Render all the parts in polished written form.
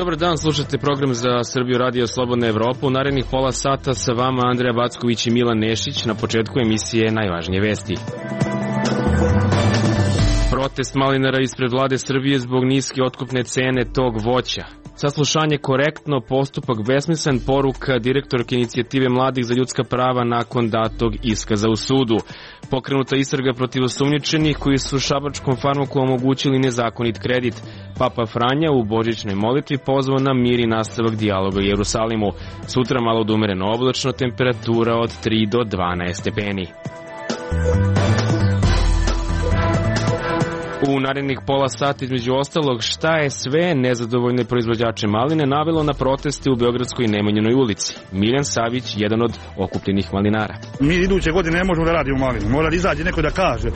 Dobar dan, slušate program za Srbiju Radio Slobodna Evropa. U narednih pola sata sa vama Andreja Backović i Milan Nešić. Na početku emisije najvažnije vesti. Protest malinara ispred vlade Srbije zbog niske otkupne cene tog voća. Saslušanje korektno, postupak besmislen, poruka direktorke inicijative mladih za ljudska prava nakon datog iskaza u sudu. Pokrenuta istraga protiv osumnjičenih koji su šabačkom farmaku omogućili nezakonit kredit. Papa Franja u božićnoj molitvi pozvao na mir i nastavak dijaloga u Jerusalimu. Sutra malo da umereno oblačno, temperatura od 3 do 12 stepeni. U narednih pola sata, između ostalog, šta je sve nezadovoljne proizvođače maline navelo na proteste u Beogradskoj Nemanjinoj ulici. Miljan Savić, jedan od okupljenih malinara. Mi iduće godine ne možemo da radimo malinu. Mora da izađe neko da kaže,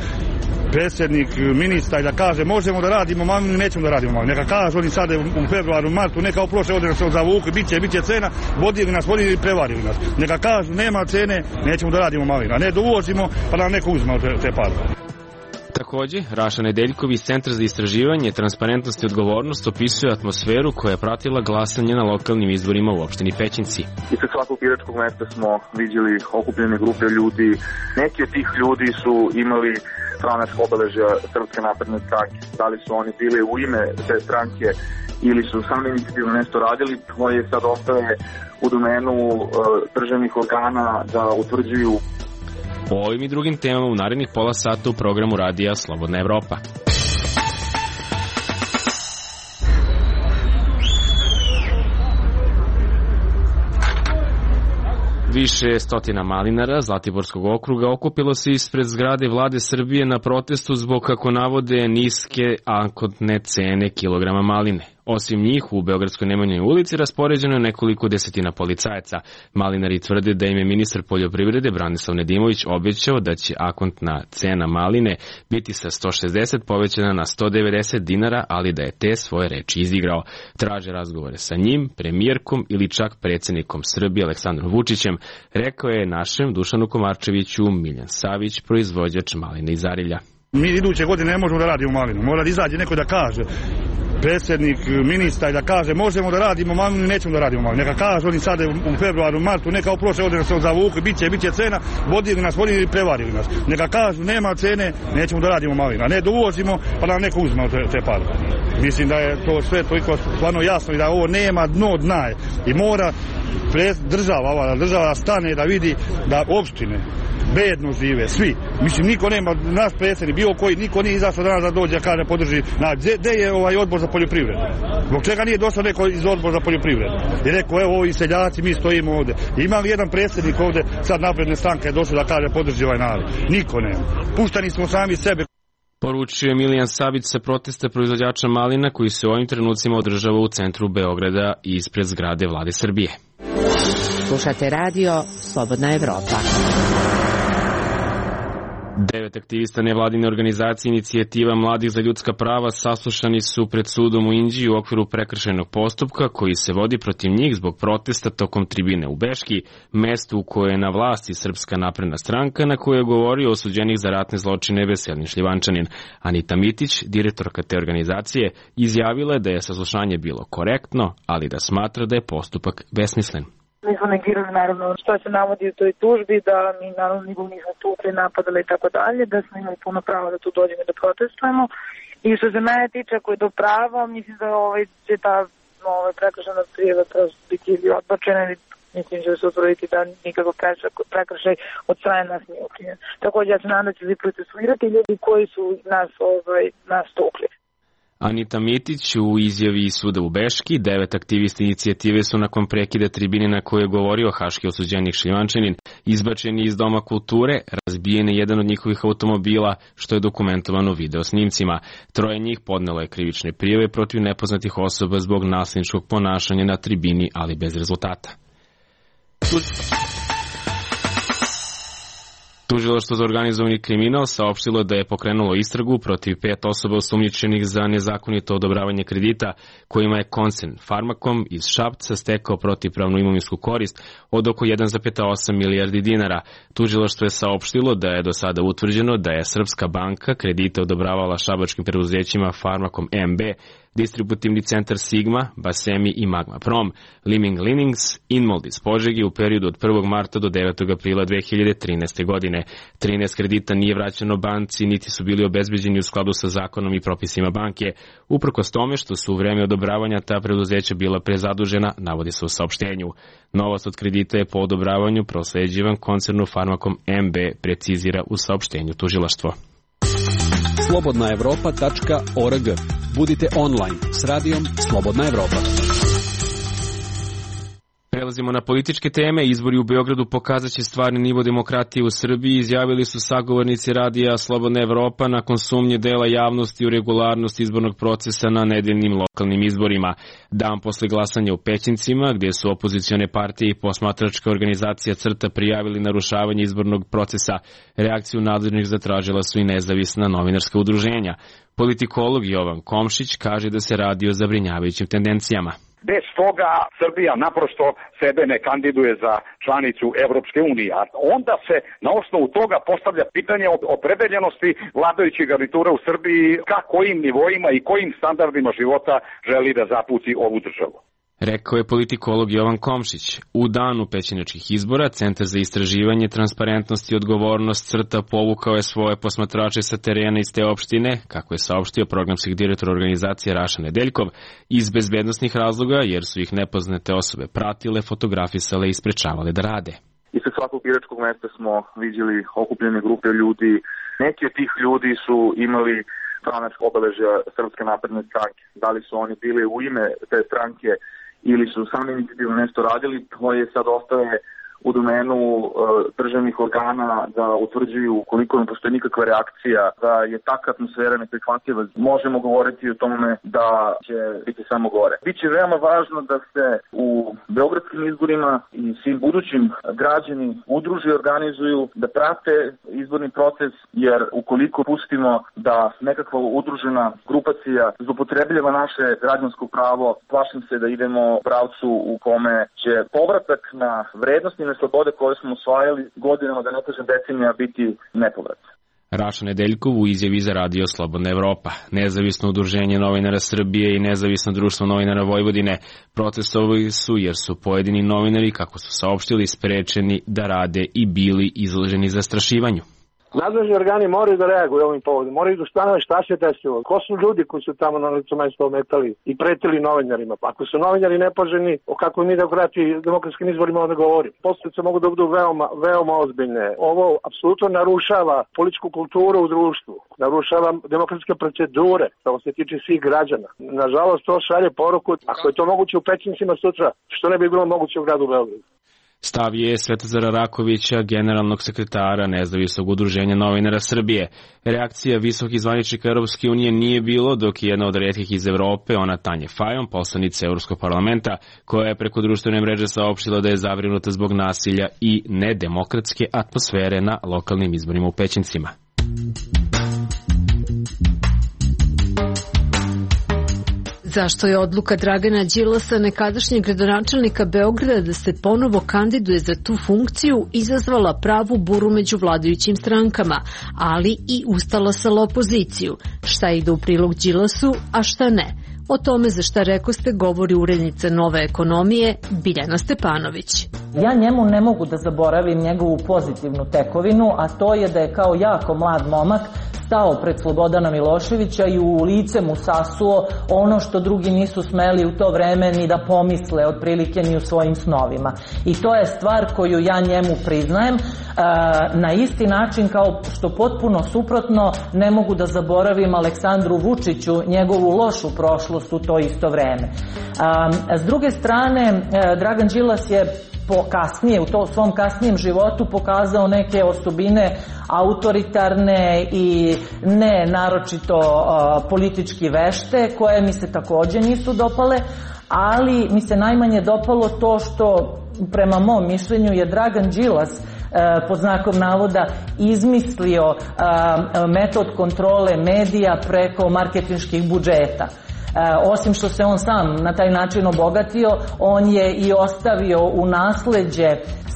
predsjednik, ministar, da kaže možemo da radimo malinu, nećemo da radimo malinu. Neka kažu oni sada u februaru, martu, neka prošle godine se zavuku, bit će cena, vodili nas i prevarili nas. Neka kažu nema cene, nećemo da radimo malinu. A ne da uvozimo pa nam neko uzme te pare. Takođe, Raša Nedeljković iz Centra za istraživanje, transparentnost i odgovornost opisuje atmosferu koja je pratila glasanje na lokalnim izborima u opštini Pećinci. Ispred svakog biračkog mesta smo vidjeli okupljene grupe ljudi. Neki od tih ljudi su imali stranačka obeležja Srpske napredne stranke. Da li su oni bili u ime te stranke ili su sami inicijativno nešto radili, to je sad ostaje u domenu državnih organa da utvrđuju. O ovim i drugim temama u narednih pola sata u programu Radija Slobodna Evropa. Više stotina malinara Zlatiborskog okruga okupilo se ispred zgrade vlade Srbije na protestu zbog, kako navode, niske ankotne cene kilograma maline. Osim njih, u Beogradskoj Nemanjinoj ulici raspoređeno je nekoliko desetina policajaca. Malinari tvrde da im je ministar poljoprivrede Branislav Nedimović obećao da će akontna cena maline biti sa 160 povećana na 190 dinara, ali da je te svoje reči izigrao. Traže razgovore sa njim, premijerkom ili čak predsjednikom Srbije Aleksandrom Vučićem, rekao je našem Dušanu Komarčeviću Miljan Savić, proizvođač maline iz Arilja. Mi iduće godine ne možemo da radimo malinu. Mora da izađe neko da kaže, predsjednik, ministar, da kaže možemo da radimo malinu, nećemo da radimo malinu. Neka kažu oni sada u februaru, martu, neka prošle godine se zavuku, bit će cena, vodili nas i prevarili nas. Neka kažu nema cene, nećemo da radimo malinu. A ne da uvozimo pa nam neko uzme te pare. Mislim da je to sve toliko stvarno jasno i da ovo nema dno dna. I mora država stane da vidi da opštine bedno žive, svi. Mislim, niko nema, naš predsjednik, bilo koji, niko nije izašao danas da dođe, kaže, podrži. Gde je odbor za poljoprivredu? Zbog čega nije došao neko iz odbora za poljoprivredu? I rekao, evo, ovi seljaci, mi stojimo ovde. Ima li jedan predsjednik ovde, sad napredne stranke je došao da kaže, podrži ovaj narod? Niko nema. Puštani smo sami sebe. Poručuje Miljan Savić sa protesta proizvođača malina koji se u ovim trenucima održava u centru Beograda i ispred zgrade vlade Srbije. Slušate radio Slobodna Evropa. 9 aktivista nevladine organizacije Inicijativa mladih za ljudska prava saslušani su pred sudom u Inđiji u okviru prekršajnog postupka koji se vodi protiv njih zbog protesta tokom tribine u Beški, mestu u kojoj je na vlasti Srpska napredna stranka, na kojoj je govorio osuđenih za ratne zločine Veselin Šljivančanin. Anita Mitić, direktorka te organizacije, izjavila je da je saslušanje bilo korektno, ali da smatra da je postupak besmislen. Mi smo negirali naravno što se navodi u toj tužbi, da mi naravno nikog nismo tukli, napadali i tako dalje, da smo imali puno pravo da tu dođemo i da protestujemo. I što se mene tiče, ako je do pravo, mislim da će ta prekršajna prijava prosto biti ili odbačena ili mislim da će se utvrditi da nikakav prekršaj od strane nas nije učinjen. Također ja se nadam da će se procesuirati ljudi koji su nas tukli. Anita Mitić u izjavi suda u Beški, 9 aktivista inicijative su nakon prekida tribine na kojoj je govorio haški osuđenik Šljivančanin izbačeni iz Doma kulture, razbijen je jedan od njihovih automobila, što je dokumentovano video snimcima. 3 njih podnelo je krivične prijave protiv nepoznatih osoba zbog nasilničkog ponašanja na tribini, ali bez rezultata. Tužilaštvo za organizovani kriminal saopštilo da je pokrenulo istragu protiv 5 osoba osumnjičenih za nezakonito odobravanje kredita kojima je koncern Farmakom iz Šapca stekao protivpravnu imovinsku korist od oko 1,8 milijardi dinara. Tužilaštvo je saopštilo da je do sada utvrđeno da je Srpska banka kredite odobravala šabačkim preduzećima Farmakom MB distributivni centar Sigma, Basemi i Magma Prom, Liming Linings, Inmold iz Požege u periodu od 1. marta do 9. aprila 2013. godine. 13 kredita nije vraćeno banci, niti su bili obezbeđeni u skladu sa zakonom i propisima banke. Uprkos tome što su u vreme odobravanja ta preduzeća bila prezadužena, navodi se u saopštenju. Novac od kredita je po odobravanju prosleđivan koncernu Farmakom MB, precizira u saopštenju tužilaštvo. slobodnaevropa.org. Budite online s radijom Slobodna Evropa. Prelazimo na političke teme. Izbori u Beogradu pokazaće stvarni nivo demokratije u Srbiji, izjavili su sagovornici radija Slobodna Evropa nakon sumnje dela javnosti u regularnost izbornog procesa na nedeljnim lokalnim izborima. Dan posle glasanja u Pećincima, gdje su opozicione partije i posmatračka organizacija CRTA prijavili narušavanje izbornog procesa, reakciju nadležnih zatražila su i nezavisna novinarska udruženja. Politikolog Jovan Komšić kaže da se radi o zabrinjavajućim tendencijama. Bez toga Srbija naprosto sebe ne kandiduje za članicu Evropske unije, a onda se na osnovu toga postavlja pitanje o opredeljenosti vladajućih garnitura u Srbiji ka kojim nivoima i kojim standardima života želi da zapuci ovu državu. Rekao je politikolog Jovan Komšić. U danu pećinačkih izbora, Centar za istraživanje, transparentnost i odgovornost CRTA povukao je svoje posmatrače sa terena iz te opštine, kako je saopštio programski direktor organizacije Raša Nedeljkov, iz bezbednosnih razloga, jer su ih nepoznate osobe pratile, fotografisale i sprečavale da rade. Ispred svakog biračkog mesta smo vidjeli okupljene grupe ljudi. Neki od tih ljudi su imali stranačka obeležja Srpske napredne stranke. Da li su oni bili u ime te stranke ili su sami inicijativno nešto radili, to je sad ostaje u domenu državnih organa da utvrđuju koliko ne postoji nikakva reakcija, da je takva atmosfera neprihvatljiva. Možemo govoriti o tome da će biti samo gore. Biće veoma važno da se u beogradskim izborima i svim budućim građani udruže i organizuju, da prate izborni proces, jer ukoliko pustimo da nekakva udružena grupacija zloupotrebljava naše građansko pravo, plašim se da idemo u pravcu u kome će povratak na vrednosti slobode koje smo osvajali godinama, da ne kažem decenija, biti nepovratno. Raša Nedeljkov u izjavi za radio Slobodna Evropa. Nezavisno udruženje novinara Srbije i Nezavisno društvo novinara Vojvodine protestovali su jer su pojedini novinari, kako su saopštili, sprečeni da rade i bili izloženi zastrašivanju. Nadležni organi moraju da reaguju ovim povodom, moraju da ustanove šta se desilo, ko su ljudi koji su tamo na licu mesta ometali i pretili novinarima. Ako su novinari nepoželjni, o kakvoj mi demokratskim izborima onda govorim. Posljedice mogu da budu veoma ozbiljne. Ovo apsolutno narušava političku kulturu u društvu, narušava demokratske procedure, što se tiče svih građana. Nažalost, to šalje poruku, ako je to moguće u Pećincima sutra, što ne bi bilo moguće u gradu Beogradu. Stav je Svetozara Rakovića, generalnog sekretara Nezavisnog udruženja novinara Srbije. Reakcija visokih zvaničnika Europske unije nije bilo, dok je jedna od retkih iz Evrope, ona Tanja Fajon, poslanica Evropskog parlamenta, koja je preko društvene mreže saopštila da je zabrinuta zbog nasilja i nedemokratske atmosfere na lokalnim izborima u Pećincima. Zašto je odluka Dragana Đilasa, nekadašnjeg gradonačelnika Beograda, da se ponovo kandiduje za tu funkciju, izazvala pravu buru među vladajućim strankama, ali i ustalasala opoziciju. Šta ide u prilog Đilasu, a šta ne? O tome za šta rekoste govori urednica Nove ekonomije Biljana Stepanović. Ja njemu ne mogu da zaboravim njegovu pozitivnu tekovinu, a to je da je kao jako mlad momak stao pred Slobodana Miloševića i u lice mu sasuo ono što drugi nisu smeli u to vreme ni da pomisle otprilike ni u svojim snovima. I to je stvar koju ja njemu priznajem, na isti način kao što potpuno suprotno ne mogu da zaboravim Aleksandru Vučiću njegovu lošu prošlost u to isto vreme. S druge strane, Dragan Đilas je kasnije, u to svom kasnijem životu pokazao neke osobine autoritarne i ne naročito politički vešte, koje mi se takođe nisu dopale, ali mi se najmanje dopalo to što prema mom mišljenju je Dragan Đilas pod znakom navoda izmislio metod kontrole medija preko marketinških budžeta. Osim što se on sam na taj način obogatio, on je i ostavio u nasleđe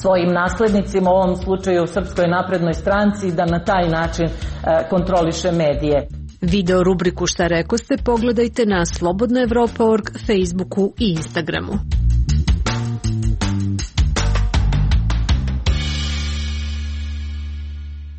svojim naslednicima, u ovom slučaju Srpskoj naprednoj stranci, da na taj način kontroliše medije. Video rubriku Šta rekoste pogledajte na slobodnaevropa.org, Facebooku i Instagramu.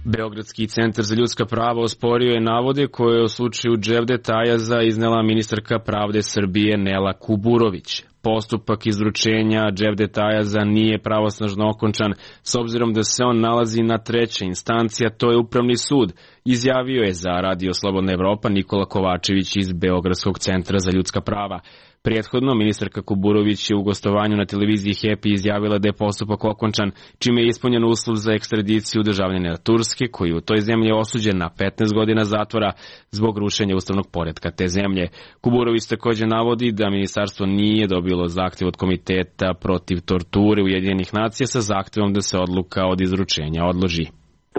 Beogradski centar za ljudska prava osporio je navode koje u slučaju Dževdeta Ajaza iznela ministarka pravde Srbije Nela Kuburović. Postupak izručenja Dževdeta Ajaza nije pravosnažno okončan s obzirom da se on nalazi na trećoj instanciji, a to je Upravni sud, izjavio je za Radio Slobodna Evropa Nikola Kovačević iz Beogradskog centra za ljudska prava. Prethodno, ministarka Kuburović je u gostovanju na televiziji Happy izjavila da je postupak okončan, čime je ispunjen uslov za ekstradiciju državljanina Turske, koji u toj zemlji je osuđen na 15 godina zatvora zbog rušenja ustavnog poretka te zemlje. Kuburović također navodi da ministarstvo nije dobilo zahtev od Komiteta protiv torture Ujedinjenih nacija sa zahtevom da se odluka od izručenja odloži.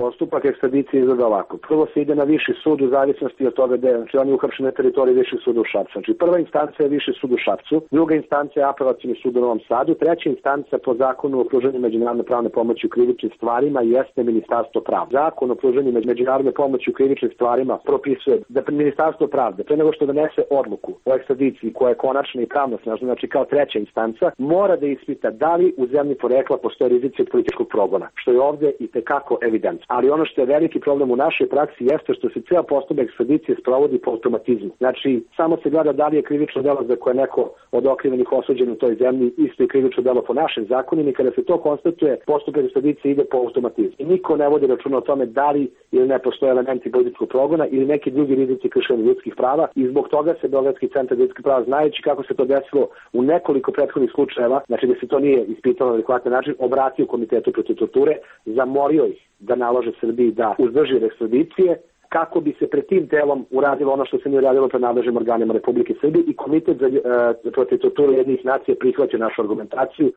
Postupak ekstradicije izgleda ovako. Prvo se ide na viši sud u zavisnosti od toga da je, znači on je uhapšen na teritoriji višeg suda u Šapcu. Znači prva instanca je viši sud u Šapcu, druga instanca je apelacioni sud u Novom Sadu, treća instanca po zakonu o pružanju međunarodne pravne pomoći u krivičnim stvarima jeste Ministarstvo pravde. Zakon o pružanju međunarodne pomoći u krivičnim stvarima propisuje da Ministarstvo pravde pre nego što donese odluku o ekstradiciji koja je konačna i pravnosnažna, znači kao treća instanca, mora da ispita da li u zemlji porekla postoje rizici od političkog progona, što je ovdje i tekako evidentno. Ali ono što je veliki problem u našoj praksi jeste što se ceo postupak ekstradicije sprovodi po automatizmu. Znači, samo se gleda da li je krivično delo za koje neko od okrivljenih osuđen u toj zemlji isto je krivično delo po našim zakonima i kada se to konstatuje, postupak ekstradicije ide po automatizmu. I niko ne vodi računa o tome da li ili ne postoje elementi političkog progona ili neki drugi rizici kršenja ljudskih prava i zbog toga se Beogradski centar za ljudska prava, znajući kako se to desilo u nekoliko prethodnih slučajeva, znači da se to nije ispitalo na adekvatan način, obratio Komitetu protiv torture, zamorio ih da nalože Srbiji da uzdrži ekstradicije kako bi se pred tim telom uradilo ono što se nije uradilo pred nadležnim organima Republike Srbije i Komitet za protiv torture Ujedinjenih nacija prihvaća našu argumentaciju.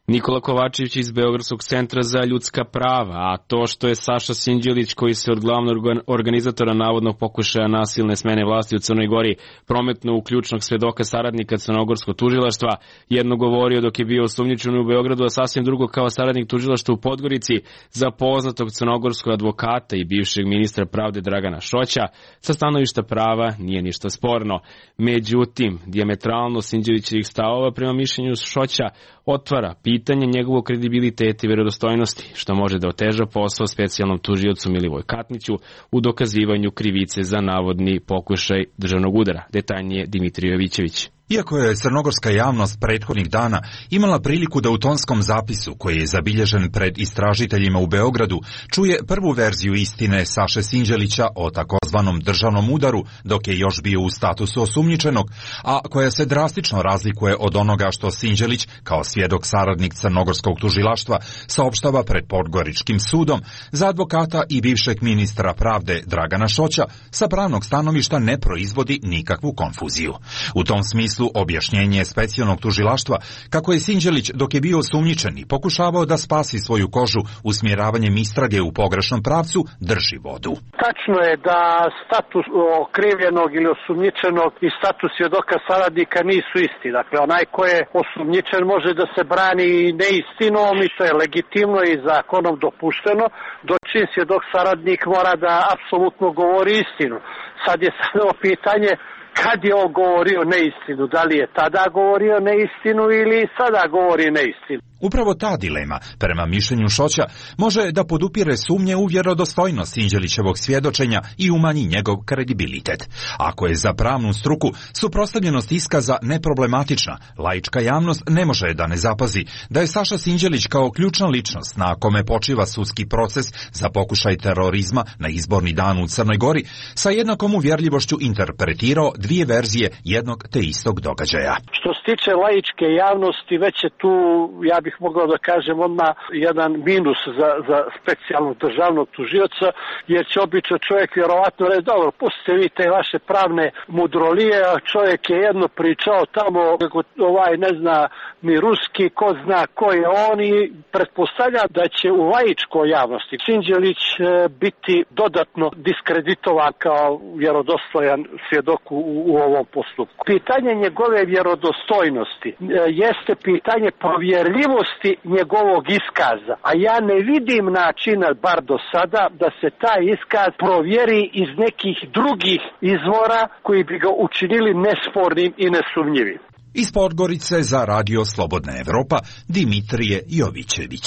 Nikola Kovačević iz Beogradskog centra za ljudska prava, a to što je Saša Sinđelić, koji se od glavnog organizatora navodnog pokušaja nasilne smene vlasti u Crnoj Gori prometno u ključnog svedoka saradnika crnogorskog tužilaštva, jedno govorio dok je bio osumnjičen u Beogradu, a sasvim drugo kao saradnik tužilaštva u Podgorici za poznatog crnogorskog advokata i bivšeg ministra pravde Dragana Šoća, sa stanovišta prava nije ništa sporno. Međutim, dijametralno Sinđelićevih stavova prema mišljenju Šoća otvara pitanje njegovog kredibiliteta i verodostojnosti, što može da oteža posao specijalnom tužiocu Milivoj Katniću u dokazivanju krivice za navodni pokušaj državnog udara. Detaljnije Dimitrij Jovićević. Iako je crnogorska javnost prethodnih dana imala priliku da u tonskom zapisu, koji je zabilježen pred istražiteljima u Beogradu, čuje prvu verziju istine Saše Sinđelića o takozvanom državnom udaru, dok je još bio u statusu osumnjičenog, a koja se drastično razlikuje od onoga što Sinđelić, kao svjedok saradnik crnogorskog tužilaštva, saopštava pred Podgoričkim sudom, za advokata i bivšeg ministra pravde Dragana Šoća sa pravnog stanovišta ne proizvodi nikakvu konfuziju. U tom smislu objašnjenje specijalnog tužilaštva kako je Sinđelić dok je bio osumnjičen i pokušavao da spasi svoju kožu usmjeravanjem istrage u pogrešnom pravcu drži vodu. Tačno je da status okrivljenog ili osumnjičenog i status svjedoka saradnika nisu isti. Dakle, onaj ko je osumnjičen može da se brani neistinom i to je legitimno i zakonom dopušteno, dočim svjedok saradnik mora da apsolutno govori istinu. Sad je samo pitanje kad je on govorio neistinu, da li je tada govorio neistinu ili sada govori neistinu. Upravo ta dilema, prema mišljenju Šoća, može da podupire sumnje u vjerodostojnost Sinđelićevog svjedočenja i umanji njegov kredibilitet. Ako je za pravnu struku suprotstavljenost iskaza neproblematična, laička javnost ne može da ne zapazi da je Saša Sinđelić kao ključna ličnost na kome počiva sudski proces za pokušaj terorizma na izborni dan u Crnoj Gori sa jednakom uvjerljivošću interpretirao dvije verzije jednog te istog događaja. Što se tiče laičke javnosti, već je tu, ja bih mogao da kažem, odmah jedan minus za specijalnog državnog tužioca, jer će obično čovjek vjerovatno reći, dobro, pustite vi te vaše pravne mudrolije, a čovjek je jedno pričao tamo, kako ne zna ni ruski, ko zna ko je on i pretpostavlja da će u laičkoj javnosti Sinđelić biti dodatno diskreditovan kao vjerodostojan svjedok u u ovom postupku. Pitanje njegove vjerodostojnosti jeste pitanje provjerljivosti njegovog iskaza, a ja ne vidim načina, bar do sada, da se taj iskaz provjeri iz nekih drugih izvora koji bi ga učinili nespornim i nesumnjivim. Iz Podgorice za Radio Slobodna Evropa, Dimitrije Jovićević.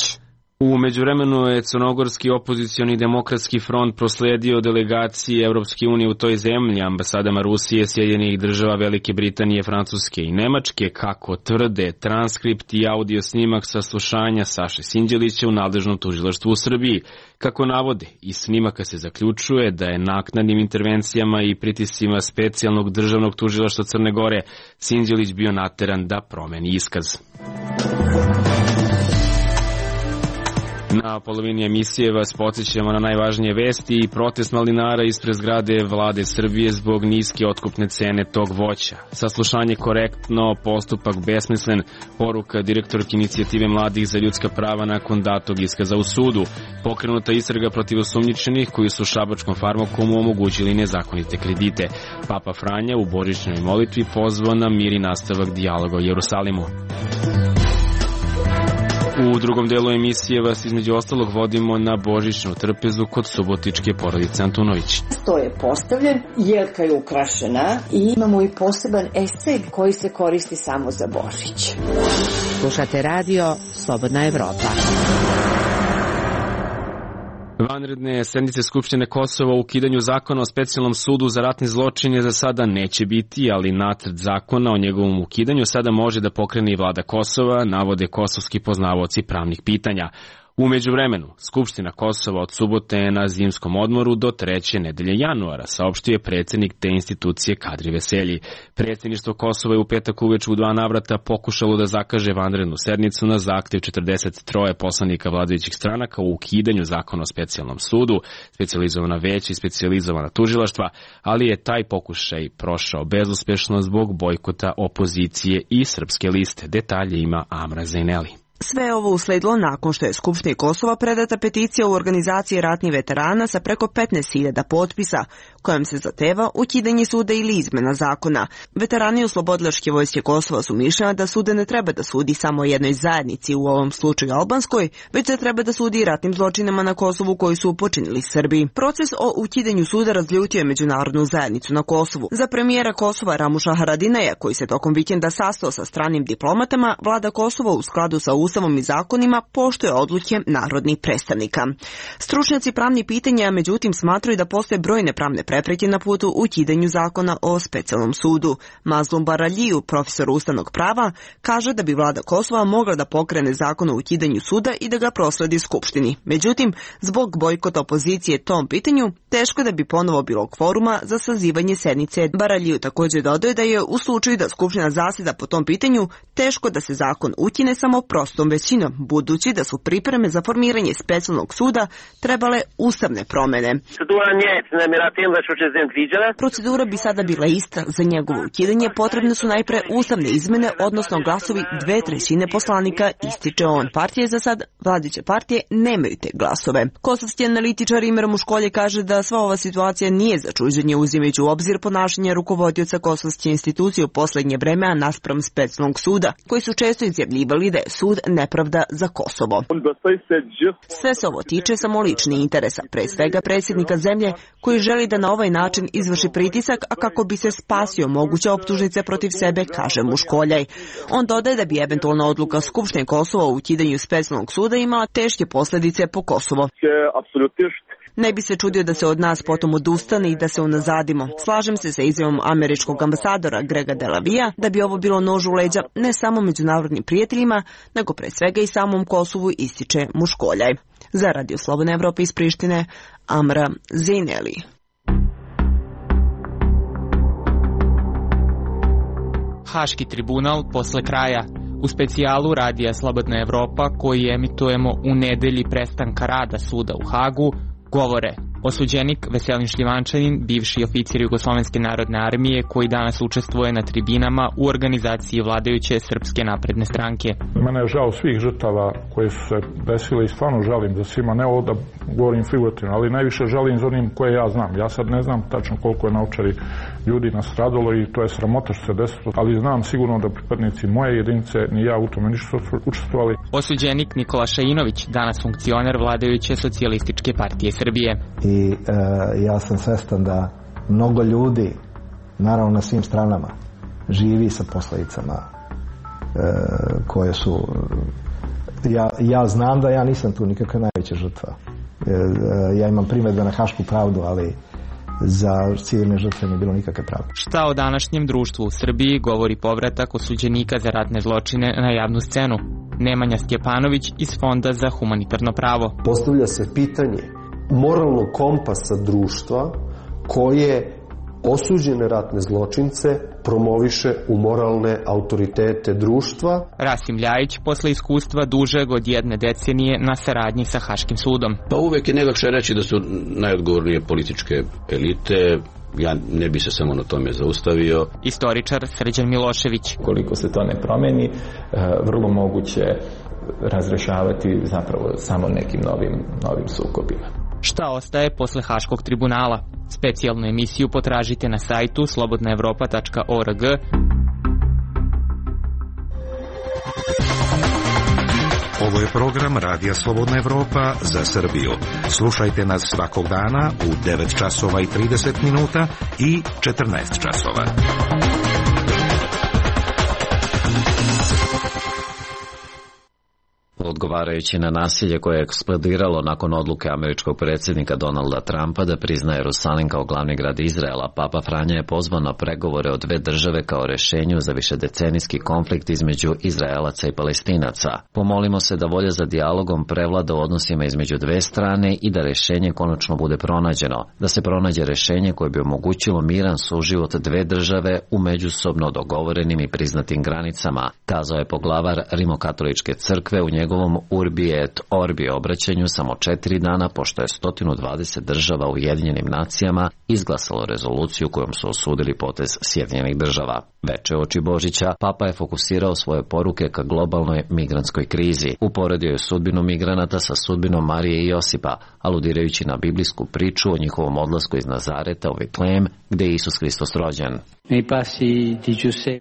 U međuvremenu je Crnogorski opozicioni demokratski front prosledio delegaciji Evropske unije u toj zemlji, ambasadama Rusije, Sjedinjenih Država, Velike Britanije, Francuske i Nemačke, kako tvrde transkript i audio snimak saslušanja Saše Sinđelića u nadležnom tužilaštvu u Srbiji. Kako navode, iz snimaka se zaključuje da je naknadnim intervencijama i pritiscima specijalnog državnog tužilaštva Crne Gore Sinđelić bio nateran da promeni iskaz. Na polovini emisije vas podsjećamo na najvažnije vesti i protest malinara ispred zgrade Vlade Srbije zbog niske otkupne cene tog voća. Saslušanje korektno, postupak besmislen, poruka direktorke inicijative mladih za ljudska prava nakon datog iskaza u sudu. Pokrenuta istraga protiv osumnjičenih koji su šabačkom farmakomu omogućili nezakonite kredite. Papa Franja u božićnoj molitvi pozvao na mir i nastavak dijaloga o Jerusalimu. U drugom delu emisije vas između ostalog vodimo na božićnu trpezu kod subotičke porodice Antunović. Sto je postavljen, jelka je ukrašena i imamo i poseban esej koji se koristi samo za Božić. Slušate radio Slobodna Evropa. Vanredne sednice Skupštine Kosova o ukidanju zakona o specijalnom sudu za ratne zločine za sada neće biti, ali nacrt zakona o njegovom ukidanju sada može da pokrene i vlada Kosova, navode kosovski poznavaoci pravnih pitanja. U međuvremenu, Skupština Kosova od subote je na zimskom odmoru do 3. nedelje januara, saopštio je predsjednik te institucije Kadri Veselji. Predsjedništvo Kosova je u petak uveče u 2 navrata pokušalo da zakaže vanrednu sednicu na zahtev 43 poslanika vladajućih stranaka u ukidanju zakona o specijalnom sudu, specijalizovana veća i specijalizovana tužilaštva, ali je taj pokušaj prošao bezuspešno zbog bojkota opozicije i Srpske liste. Detalje ima Amra Zejneli. Sve ovo usledilo nakon što je Skupštini Kosova predata peticija u organizaciji ratnih veterana sa preko 15.000 potpisa, kojom se zahteva ukidanje suda ili izmena zakona. Veterani Oslobodilačke vojske Kosova su mišljeni da sude ne treba da sudi samo jednoj zajednici, u ovom slučaju albanskoj, već se treba da sudi i ratnim zločinama na Kosovu koji su počinili Srbi. Proces o ukidanju suda razljutio je međunarodnu zajednicu na Kosovu. Za premijera Kosova Ramuša Haradinaja, koji se tokom vikenda sastao sa stranim diplomatama, vlada Kosova u skladu sa Ustavom i zakonima poštuje odluke narodnih predstavnika. Stručnjaci pravnih pitanja međutim smatraju da postoje brojne pravne prepreke na putu ukidanju zakona o specijalnom sudu. Mazlum Baraljiju, profesor ustavnog prava, kaže da bi vlada Kosova mogla da pokrene zakon o ukidanju suda i da ga prosledi Skupštini. Međutim, zbog bojkota opozicije tom pitanju, teško da bi ponovo bilo kvoruma za sazivanje sednice. Baraljiju također dodaje da je u slučaju da Skupština zaseda po tom pitanju, teško da se zakon ukine samo prostom većinom, budući da su pripreme za formiranje specijalnog suda trebale ustavne promene. Procedura bi sada bila ista. Za njegovo ukidanje potrebne su najpre ustavne izmene, odnosno glasovi 2/3 poslanika, ističe on. Partije za sad, vladajuće partije, nemaju te glasove. Kosovski analitičar Imer Muškolje kaže da sva ova situacija nije za čuđenje, uzimajući u obzir ponašanje rukovodioca kosovske institucije u poslednje vreme naspram specijalnog suda, koji su često izjavljivali da je sud nepravda za Kosovo. Sve se ovo tiče samo ličnih interesa, pre svega predsjednika zemlje, koji želi da na ovaj način izvrši pritisak, a kako bi se spasio moguće optužnice protiv sebe, kaže Muškoljaj. On dodaje da bi eventualna odluka Skupštine Kosova o ukidanju specijalnog suda imala teške posljedice po Kosovo. Ne bi se čudio da se od nas potom odustane i da se unazadimo. Slažem se sa izjavom američkog ambasadora Grega Delavija da bi ovo bilo nož u leđa ne samo međunarodnim prijateljima, nego pre svega i samom Kosovu, ističe Muškoljaj. Za Radio Slobodna Evropa iz Prištine, Amra Zejneli. Haški tribunal posle kraja. U specijalu Radija Slobodna Evropa, koji emitujemo u nedelji prestanka rada suda u Hagu, govore osuđenik Veselin Šljivančanin, bivši oficir Jugoslovenske narodne armije, koji danas učestvuje na tribinama u organizaciji vladajuće Srpske napredne stranke. Mene je žao svih žrtava koje su se desile i stvarno žalim da svima, ne ovo da govorim figurativno, ali najviše žalim za onim koje ja znam. Ja sad ne znam tačno koliko je na Ovčari ljudi nastradalo i to je sramota što se desilo, ali znam sigurno da pripadnici moje jedinice ni ja u tome nisu učestvovali. Osuđenik Nikola Šainović, danas funkcioner vladajuće Socijalističke partije Srbije. I ja sam svestan da mnogo ljudi, naravno na svim stranama, živi sa posledicama koje su... Ja znam da ja nisam tu nikakva najveća žrtva. Ja imam primedbe na Hašku pravdu, ali za civilne žrtve nije bilo nikakve pravde. Šta o današnjem društvu u Srbiji govori povratak osuđenika za ratne zločine na javnu scenu? Nemanja Stjepanović iz Fonda za humanitarno pravo. Postavlja se pitanje moralnog kompasa društva koje osuđene ratne zločince promoviše u moralne autoritete društva. Rasim Ljajić, posle iskustva dužeg od 1 decenije na saradnji sa Haškim sudom. Pa uvek je najlakše reći da su najodgovornije političke elite. Ja ne bi se samo na tome zaustavio. Istoričar Srđan Milošević. Koliko se to ne promeni, vrlo moguće razrešavati zapravo samo nekim novim sukobima. Šta ostaje posle Haškog tribunala? Specijalnu emisiju potražite na sajtu slobodnaevropa.org. Ovo je program Radija Slobodna Evropa za Srbiju. Slušajte nas svakog dana u 9 časova i 30 minuta i 14 časova. Odgovarajući na nasilje koje je eksplodiralo nakon odluke američkog predsjednika Donalda Trumpa da priznaje Jerusalim kao glavni grad Izraela, Papa Franja je pozvao na pregovore o 2 države kao rešenju za višedecenijski konflikt između Izraelaca i Palestinaca. Pomolimo se da volja za dijalogom prevlada u odnosima između 2 strane i da rešenje konačno bude pronađeno, da se pronađe rešenje koje bi omogućilo miran suživot 2 države u međusobno dogovorenim i priznatim granicama, kazao je poglavar Rimokatoličke crkve u njegovom Urbi et Orbi obraćanju samo 4 dana pošto je 120 država u Ujedinjenim nacijama izglasalo rezoluciju kojom su osudili potez Sjedinjenih država. Veče oči Božića, Papa je fokusirao svoje poruke ka globalnoj migrantskoj krizi. Uporedio je sudbinu migranata sa sudbinom Marije i Josipa, aludirajući na biblijsku priču o njihovom odlasku iz Nazareta u Vitlejem, gde je Isus Hristos rođen.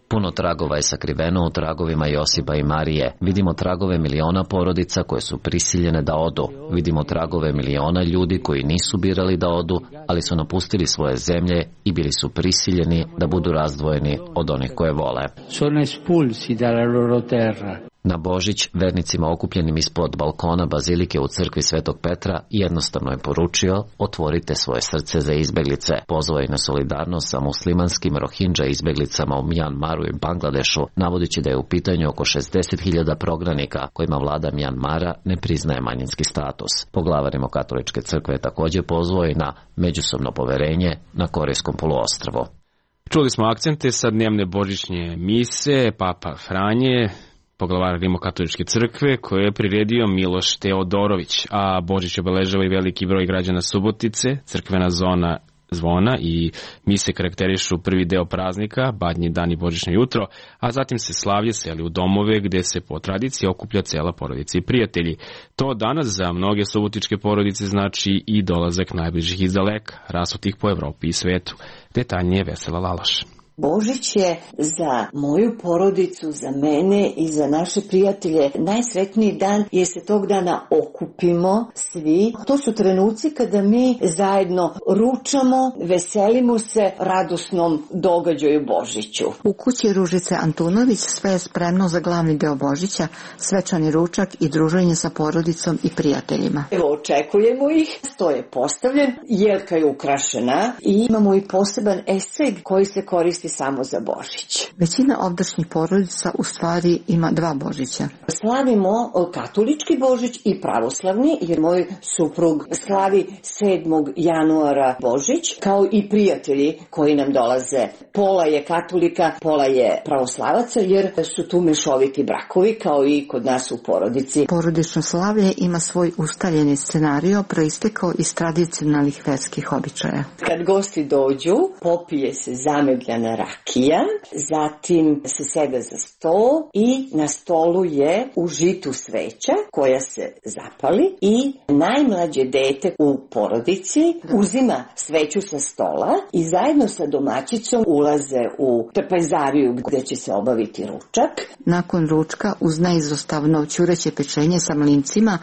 Puno tragova je sakriveno u tragovima Josipa i Marije. Vidimo tragove miliona porodica koje su prisiljene da odu. Vidimo tragove miliona ljudi koji nisu birali da odu, ali su napustili svoje zemlje i bili su prisiljeni da budu razdvojeni od onih koje vole. Na Božić, vernicima okupljenim ispod balkona bazilike u crkvi Svetog Petra jednostavno je poručio: otvorite svoje srce za izbeglice. Pozvao je na solidarnost sa muslimanskim Rohingya izbeglicama u Mjanmaru i Bangladešu, navodeći da je u pitanju oko 60.000 prognanika kojima vlada Mjanmara ne priznaje manjinski status. Poglavar Rimokatoličke crkve je također pozvao i na međusobno poverenje na Korejskom poluostrvu. Čuli smo akcente sa dnevne božićnje mise Papa Franje, poglavar Rimokatoličke crkve, koje je priredio Miloš Teodorović, a Božić obeležava i veliki broj građana Subotice. Crkvena zona zvona i mise karakterišu prvi deo praznika, Badnji dan i Božićno jutro, a zatim se slavlje seli u domove gde se po tradiciji okuplja cela porodica i prijatelji. To danas za mnoge subotičke porodice znači i dolazak najbližih iz daleka, rasutih po Evropi i svetu. Detaljnije Vesela Laloš. Božić je za moju porodicu, za mene i za naše prijatelje najsretniji dan jer se tog dana okupimo svi. To su trenuci kada mi zajedno ručamo, veselimo se radosnom događaju Božiću. U kući Ružice Antunović sve je spremno za glavni deo Božića, svečani ručak i druženje sa porodicom i prijateljima. Evo, očekujemo ih, sto je postavljen, jelka je ukrašena i imamo i poseban eseg koji se koristi samo za Božić. Većina ovdašnjih porodica u stvari ima 2 Božića. Slavimo katolički Božić i pravoslavni, jer moj suprug slavi 7. januara Božić, kao i prijatelji koji nam dolaze. Pola je katolika, pola je pravoslavaca, jer su tu mešoviti brakovi, kao i kod nas u porodici. Porodično slavlje ima svoj ustaljeni scenario, proistekao iz tradicionalnih verskih običaja. Kad gosti dođu, popije se zamegljana rakija, zatim se sede za sto i na stolu je u žitu sveća koja se zapali i najmlađe dete u porodici uzima sveću sa stola i zajedno sa domaćicom ulaze u trpezariju gde će se obaviti ručak. Nakon ručka uz neizostavno ćureće pečenje sa mlincima,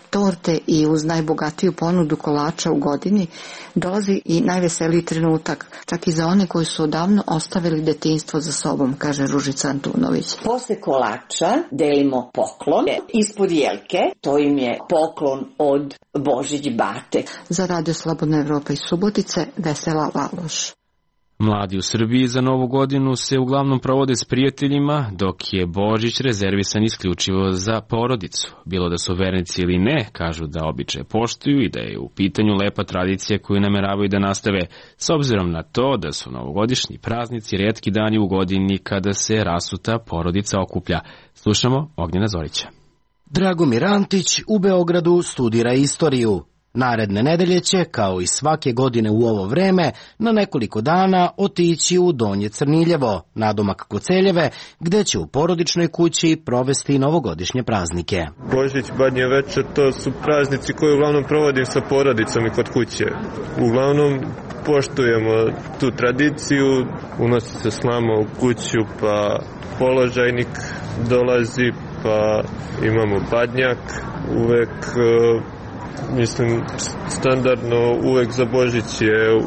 torte i uz najbogatiju ponudu kolača u godini dolazi i najveseliji trenutak, čak i za one koji su odavno ostavili detinjstvo za sobom, kaže Ružica Antunović. Posle kolača delimo poklon ispod jelke, to im je poklon od Božić bate. Za Radio Slobodna Evropa iz Subotice, Vesela Laloš. Mladi u Srbiji za Novu godinu se uglavnom provode s prijateljima, dok je Božić rezervisan isključivo za porodicu. Bilo da su vernici ili ne, kažu da običaje poštuju i da je u pitanju lepa tradicija koju nameravaju da nastave, s obzirom na to da su novogodišnji praznici retki dani u godini kada se rasuta porodica okuplja. Slušamo Ognjena Zorića. Dragomir Antić u Beogradu studira istoriju. Naredne nedelje će, kao i svake godine u ovo vreme, na nekoliko dana otići u Donje Crniljevo, nadomak Koceljeve, gde će u porodičnoj kući provesti novogodišnje praznike. Božić, Badnje večer, to su praznici koje uglavnom provodim sa porodicom i kod kuće. Uglavnom poštujemo tu tradiciju, unosi se slama u kuću, pa položajnik dolazi, pa imamo badnjak, uvek... Mislim, standardno uvek za Božić je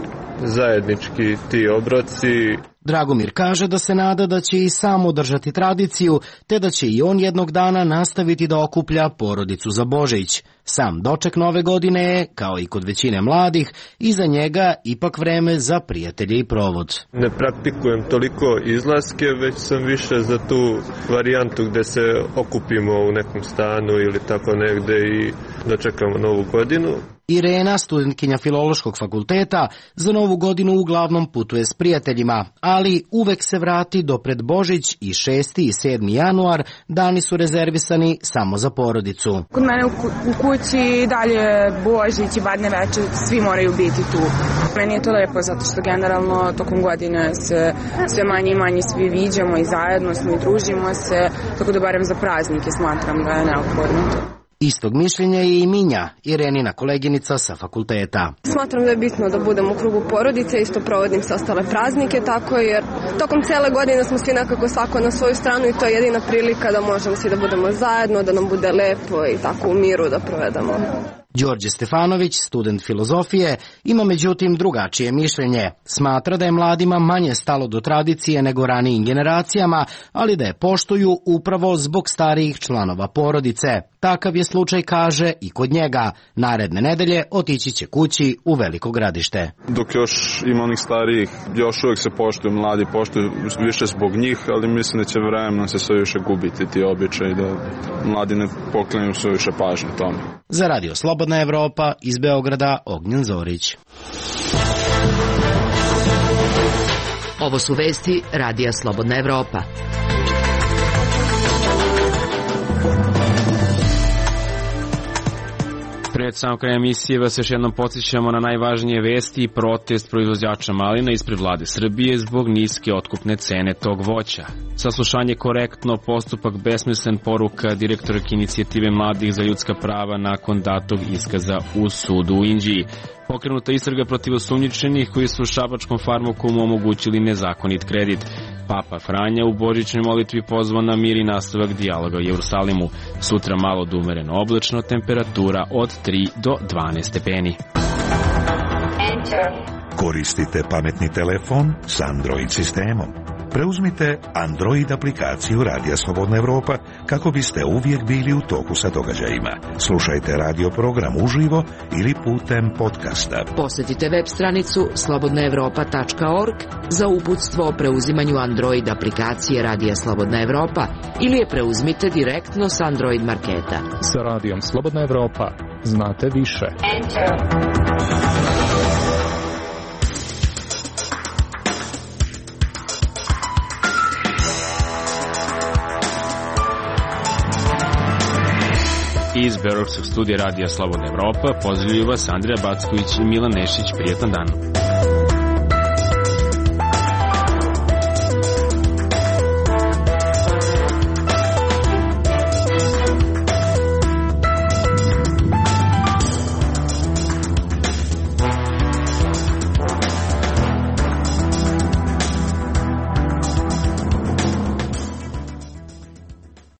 zajednički ti obroci. Dragomir kaže da se nada da će i sam održati tradiciju, te da će i on jednog dana nastaviti da okuplja porodicu za Božić. Sam doček nove godine je, kao i kod većine mladih, iza njega ipak vreme za prijatelje i provod. Ne praktikujem toliko izlaske, već sam više za tu varijantu gde se okupimo u nekom stanu ili tako negde i dočekamo Novu godinu. Irena, studentkinja Filološkog fakulteta, za Novu godinu uglavnom putuje s prijateljima, ali uvek se vrati do pred Božić i 6. i 7. januar, dani su rezervisani samo za porodicu. Kod mene u kući dalje Božić i Badnje večer, svi moraju biti tu. Meni je to lepo zato što generalno tokom godine se sve manje i manje svi viđamo i zajedno smo i družimo se, tako da barem za praznike smatram da je neophodno to. Istog mišljenja je i Minja, Irenina koleginica sa fakulteta. Smatram da je bitno da budemo u krugu porodice, isto provodim sa ostale praznike, tako jer tokom cele godine smo svi nekako svako na svoju stranu i to je jedina prilika da možemo svi da budemo zajedno, da nam bude lepo i tako u miru da provedemo. Đorđe Stefanović, student filozofije, ima međutim drugačije mišljenje. Smatra da je mladima manje stalo do tradicije nego ranijim generacijama, ali da je poštuju upravo zbog starijih članova porodice. Takav je slučaj, kaže, i kod njega. Naredne nedelje otići će kući u Veliko Gradište. Dok još ima onih starijih, još uvijek se poštuju, mladi poštuju više zbog njih, ali mislim da će vremenom se sve više gubiti ti običaji, da mladi ne poklanjaju sve više pažnje tome. Za Radio Slobodna Evropa iz Beograda, Ognjen Zorić. Ovo su vesti Radija Slobodna Evropa. Pred sam kraj emisije vas još jednom podsjećamo na najvažnije vesti i protest proizvođača malina ispred vlade Srbije zbog niske otkupne cene tog voća. Saslušanje korektno, postupak besmislen, poruka direktorke inicijative mladih za ljudska prava nakon datog iskaza u sudu u Inđiji. Pokrenuta istraga protiv osumnjičenih koji su šabačkom farmakom omogućili nezakonit kredit. Papa Franja u božićnoj molitvi pozvao na mir i nastavak dijaloga u Jerusalimu. Sutra malo do umereno oblačno, temperatura od 3 do 12 stepeni. Koristite pametni telefon s Android sistemom. Preuzmite Android aplikaciju Radija Slobodna Evropa kako biste uvijek bili u toku sa događajima. Slušajte radio program uživo ili putem podcasta. Posjetite web stranicu slobodnaevropa.org za uputstvo o preuzimanju Android aplikacije Radija Slobodna Evropa ili je preuzmite direktno s Android marketa. Sa Radijom Slobodna Evropa znate više. Iz Beogradskog studija Radija Slobodna Evropa pozdravljaju vas Andrija Backović i Milan Nešić. Prijetan dan.